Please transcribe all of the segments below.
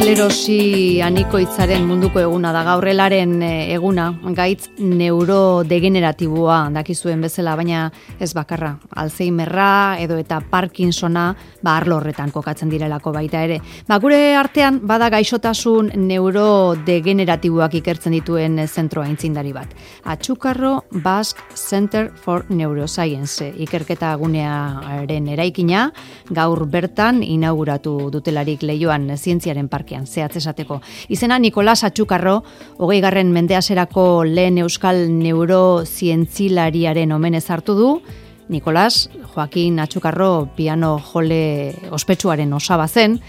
Esklerosi anikoitzaren munduko eguna da, gaurrelaren eguna, gaitz neurodegeneratiboa dakizuen bezala, baina ez bakarra, Alzheimerra edo eta Parkinsona arlo horretan kokatzen direlako baita ere. Gure artean bada gaixotasun neurodegeneratiboak ikertzen dituen zentroa aintzindari bat. Atxukarro Basque Center for Neuroscience ikerketa gunearen eraikina gaur bertan inauguratu dutelarik Leioan Zientziaren Parkean, zehatz esateko. Izena Nikolas Atxukarro, 20. mendeaserako lehen euskal neurozientzilariaren omenez hartu du. Nikolas Joaquin Atxukarro piano jole ospetsuaren osaba zen,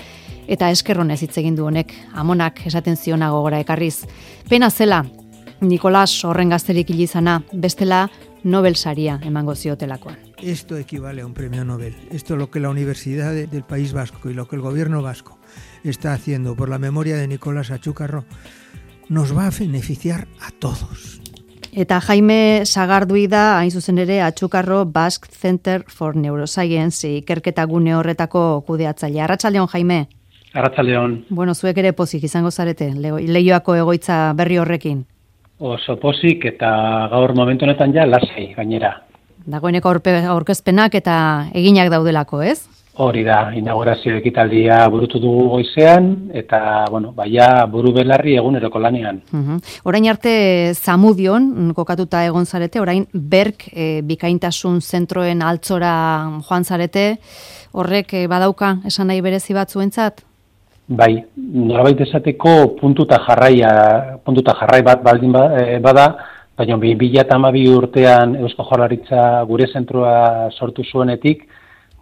eta eskerronez hitz egin du honek, amonak esaten ziona gogora ekarriz. Pena zela, Nikolas horren gazterik hilizana, bestela Nobel saria emango ziotelakoan. Esto equivale a un premio Nobel. Esto es lo que la Universidad del País Vasco y lo que el gobierno vasco está haciendo por la memoria de Nicolás Atxukarro nos va a beneficiar a todos. Eta Jaime Sagardui da, hain zuzen ere, Atxukarro Basque Center for Neuroscience ikerketa gune horretako kudeatzailea. Arratsaldeon, Jaime. Arratsaldeon. Bueno, zuek ere pozik izango zarete, Leioako egoitza berri horrekin. Oso pozik eta gaur momentu honetan ja lasai gainera. Dagoeneko aurkezpenak eta eginak daudelako, ez? Hori da, inaugurazio ekitaldia burutu dugu goizean, eta, baia buru belarri eguneroko lanean. Orain arte Zamudion kokatuta egon zarete, orain Berk bikaintasun zentroen altzora joan zarete, horrek badauka esan nahi berezi bat zuentzat? Bai, norabait esateko puntuta jarrai bat baldin bada, baina 2012 urtean Eusko Jaurlaritza gure zentroa sortu zuenetik,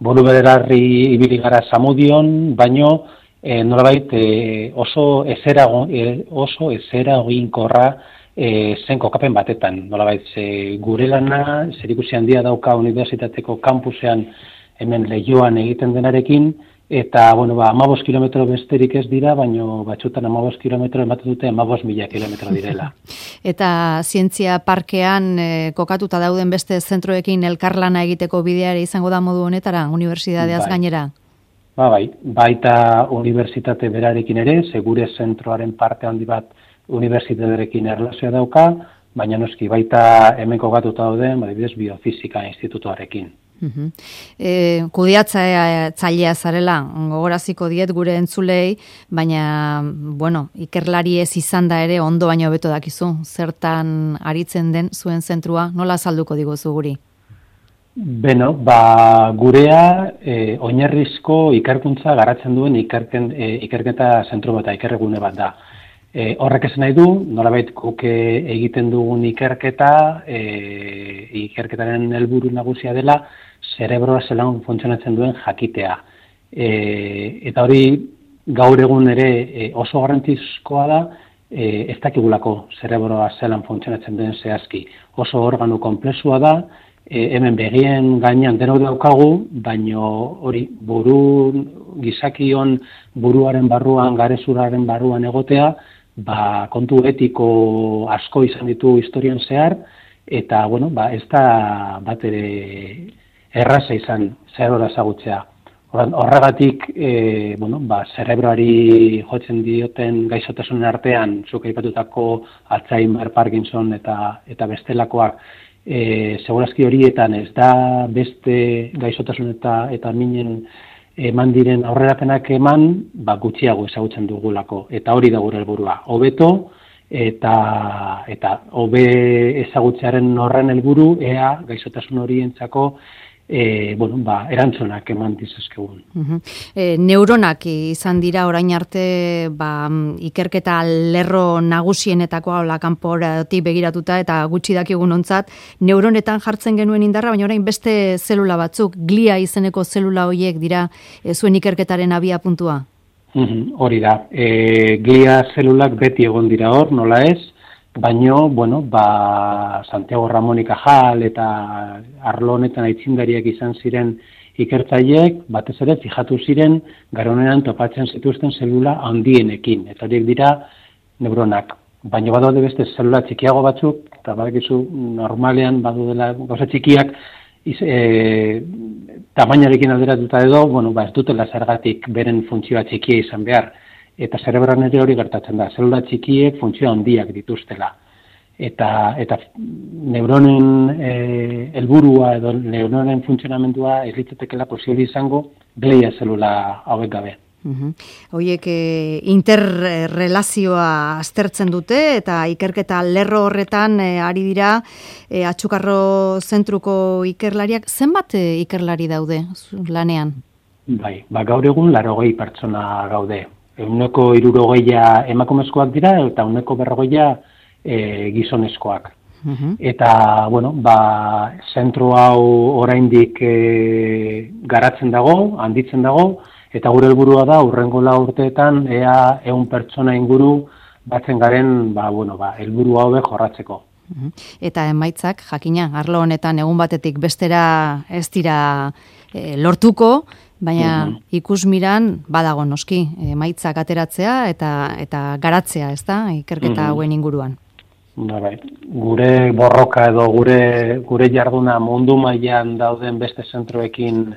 buru belarri ibili gara Zamudion, baino nolabait oso ezeraginkorra zen kokapen batetan. Nolabait gure lana zerikusi handia dauka unibertsitateko kampusean hemen Leioan egiten denarekin, eta 15 kilometro besterik ez dira, baino batzutan 15 kilometro ematen dute 15.000 kilometro direla. Eta Zientzia Parkean kokatuta dauden beste zentroekin elkarlana egiteko bidea izango da modu honetara, unibertsitateaz gainera? Baita unibertsitate berarekin ere, segure zentroaren parte handi bat unibertsitatearekin erlazioa dauka, baina noski baita hemen kokatuta dauden, adibidez Biofisika Institutuarekin. Kudeatzailea zarela, gogoraziko diet gure entzulei, baina, ikerlari ez izan da ere ondo baino beto dakizu, zertan aritzen den zuen zentrua, nola azalduko diguzu guri? Gurea oinarrizko ikerkuntza garatzen duen ikerketa zentro bat, ikerregune bat da. Horrek esan nahi du, nolabait guk egiten dugun ikerketaren helburu nagusia dela, zerebroa zelan funtzionatzen duen jakitea. Eta hori gaur egun ere oso garrantzizkoa da, ez dakigulako zerebroa zelan funtzionatzen duen zehazki. Oso organo konplexua da, hemen begien gainean denok daukagu, baino hori gizakion buruaren barruan, garezurraren barruan egotea, kontu etiko asko izan ditu historian zehar, eta, ez da bat ere erraza izan zerebroa ezagutzea. Horregatik, zerebroari jotzen dioten gaixotasunen artean, zuk aipatutako Alzheimer, Parkinson eta bestelakoak, segurazki horietan ez da beste gaixotasun eta minen eman diren aurrerapenak eman, gutxiago ezagutzen dugulako. Eta hori da gure helburua. Hobeto eta hobe ezagutzearen horren helburu, ea gaixotasun horientzako erantzunak eman dizazkegun. Neuronak izan dira orain arte ikerketa lerro nagusienetako kanporatik begiratuta eta gutxi dakigun ontzat, neuronetan jartzen genuen indarra, baina orain beste zelula batzuk, glia izeneko zelula horiek dira zuen ikerketaren abia puntua? Hori da. Glia zelulak beti egon dira hor, nola ez, baino, Santiago Ramón y Cajal eta arlo honetan aitzindariak izan ziren ikertzaileek, batez ere, fijatu ziren, garonean topatzen zituzten zelula handienekin, eta horiek dira neuronak. Baina badaude beste zelula txikiago batzuk, eta badakizu normalean badudela gauza txikiak, tamainarekin alderatuta edo, ez dutela zergatik beren funtzioa txikia izan behar. eta zerebroan ere hori gertatzen da. Zelula txikiek funtzio handiak dituztela. Eta neuronen helburua edo neuronen funtzionamendua ez litzatekeela posible izango glia zelula hauek gabe. Hoiek interrelazioa aztertzen dute eta ikerketa lerro horretan ari dira Atxukarro zentruko ikerlariak. Zenbat ikerlari daude lanean? Bai, gaur egun 80 pertsona gaude. 60 emakumezkoak dira eta 40 gizonezkoak. Eta, zentro hau oraindik garatzen dago, handitzen dago, eta gure helburua da hurrengo 4 urteetan ea 100 pertsona inguru batzen garen, helburu hau jorratzeko. Eta emaitzak, jakina, arlo honetan egun batetik bestera ez dira lortuko, baina ikusmiran badago noski, emaitzak ateratzea eta garatzea, ezta, ikerketa hauen inguruan. Gure borroka edo gure jarduna mundu mailan dauden beste zentroekin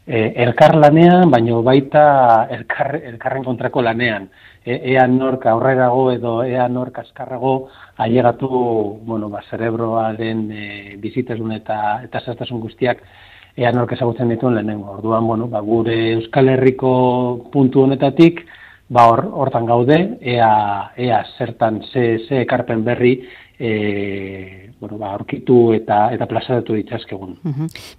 elkarlanean, baina baita elkarren kontrako lanean. Ea nork aurrerago edo ea nork azkarrago ailegatu, zerebroaren bizitasun eta zehaztasun guztiak ea nork ezagutzen dituen lehenengo. Orduan, gure Euskal Herriko puntu honetatik, hortan gaude, ea zertan ze ekarpen berri aurkitu eta plazaratu ditzazkegun.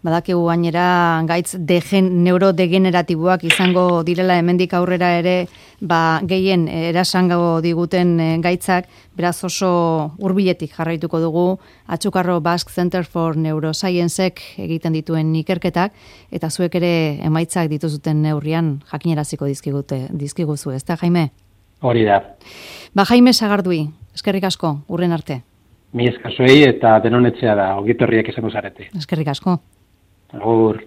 Badakigu gainera gaitz neurodegeneratiboak izango direla hemendik aurrera ere gehien erasango diguten gaitzak, beraz oso hurbiletik jarraituko dugu Atxukarro Basque Center for Neurosciencek egiten dituen ikerketak, eta zuek ere emaitzak dituzuten neurrian jakineraziko dizkiguzu, ezta Jaime? Hori da. Jaime Sagardui, eskerrik asko, hurren arte. Mi esker zuei eta denonetzea da, ongi etorriak izango zarete. Eskerrik asko. Agur.